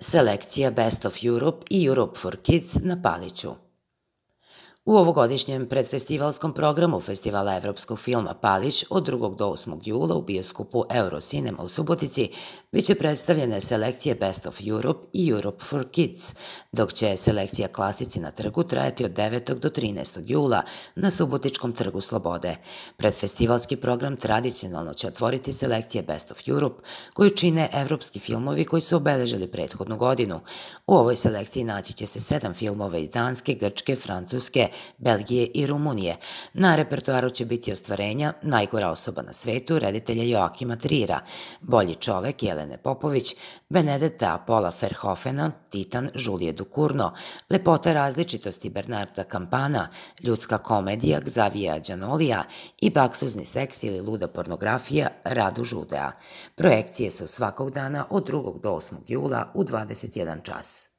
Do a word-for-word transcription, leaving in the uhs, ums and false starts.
selekcija Best of Europe i Europe for Kids na Paliću. U ovogodišnjem predfestivalskom programu Festivala evropskog filma Palić od drugog do osmog jula u bioskopu Eurocinema u Subotici biće predstavljene selekcije Best of Europe i Europe for Kids, dok će selekcija Klasici na trgu trajati od devetog do trinaestog jula na Subotičkom trgu Slobode. Predfestivalski program tradicionalno će otvoriti selekcije Best of Europe koju čine evropski filmovi koji su obeležili prethodnu godinu. U ovoj selekciji naći će se sedam filmova iz Danske, Grčke, Francuske, Belgije i Rumunije. Na repertoaru će biti ostvarenja Najgora osoba na svetu reditelja Joakima Trira, Bolji čovek Jelene Popović, Benedetta Paula Verhoevena, Titan Julije Ducournau, Lepota različitosti Bernarda Campana, Ljudska komedija Xavija Đanolija i Baksuzni seks ili luda pornografija Radu Žudea. Projekcije su svakog dana od drugog do osmog jula u dvadeset jedan čas.